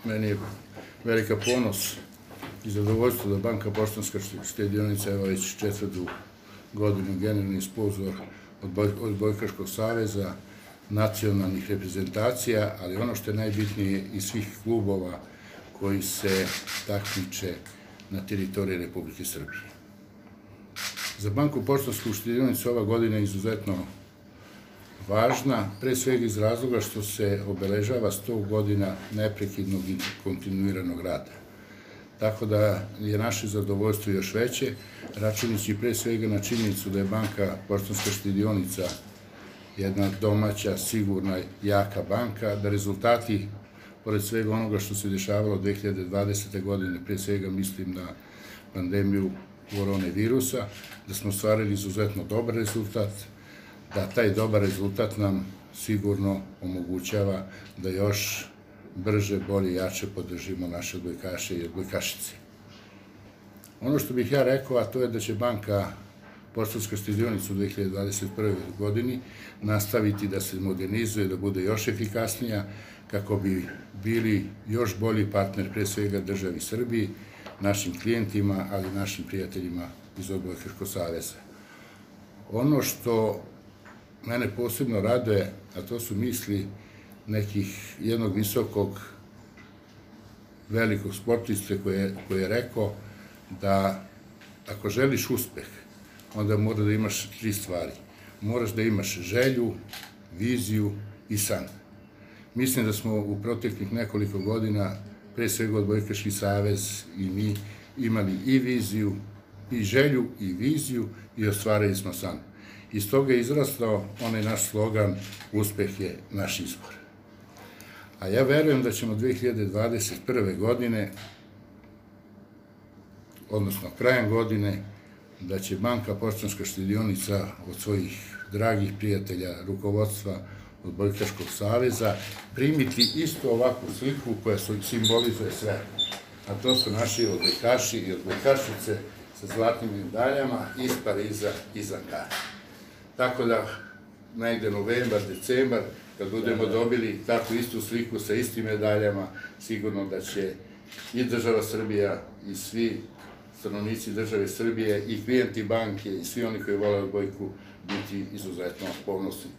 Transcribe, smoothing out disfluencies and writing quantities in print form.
meni je velika ponos i zadovoljstvo da Banka Poštanska štedionica je već 4. godinu generalni sponzor Odbojkaškog saveza, nacionalnih reprezentacija, ali ono što je najbitnije i svih klubova koji se takmiče na teritoriji Republike Srbije. Za Banku Poštansku štedionicu ova godina je izuzetno važna, pre svega iz razloga što se obeležava 100 godina neprekidnog i kontinuiranog rada. Tako da je naše zadovoljstvo još veće, računajući pre svega na činjenicu da je Banka Poštanska štedionica jedna domaća, sigurna, jaka banka, da rezultati, pored svega onoga što se dešavalo 2020. godine, pre svega mislim na pandemiju koronavirusa, da smo ostvarili izuzetno dobar rezultat, da taj dobar rezultat nam sigurno omogućava da još brže, bolje i jače podržimo naše odbojkaše i odbojkašice. Ono što bih ja rekao, a to je da će Banka Poštanska štedionica u 2021. godini nastaviti da se modernizuje, da bude još efikasnija, kako bi bili još bolji partner, pre svega državi Srbiji, našim klijentima, ali i našim prijateljima iz Odbojkaškog saveza. Ono što mene posebno raduje, a to su misli jednog visokog, velikog sportiste koji je rekao da ako želiš uspeh, onda mora da imaš 3 stvari. Moraš da imaš želju, viziju i san. Mislim da smo u proteklih nekoliko godina, pre svega Odbojkaški savez i mi, imali i viziju, i želju, i viziju i ostvarili smo san. Iz toga je izrastao onaj naš slogan "Uspeh je naš izbor". A ja verujem da ćemo 2021. godine, odnosno krajem godine, da će Banka Poštanska štedionica od svojih dragih prijatelja, rukovodstva Odbojkaškog saveza, primiti isto ovakvu sliku koja simbolizuje sve. A to su naši odbojkaši i odbojkašice sa zlatnim medaljama iz Pariza, iz Ankare. Tako da, negde novembar, decembar, kad budemo dobili takvu istu sliku sa istim medaljama, sigurno da će i država Srbija i svi stanovnici države Srbije i klijenti banke i svi oni koji vole odbojku biti izuzetno ponosni.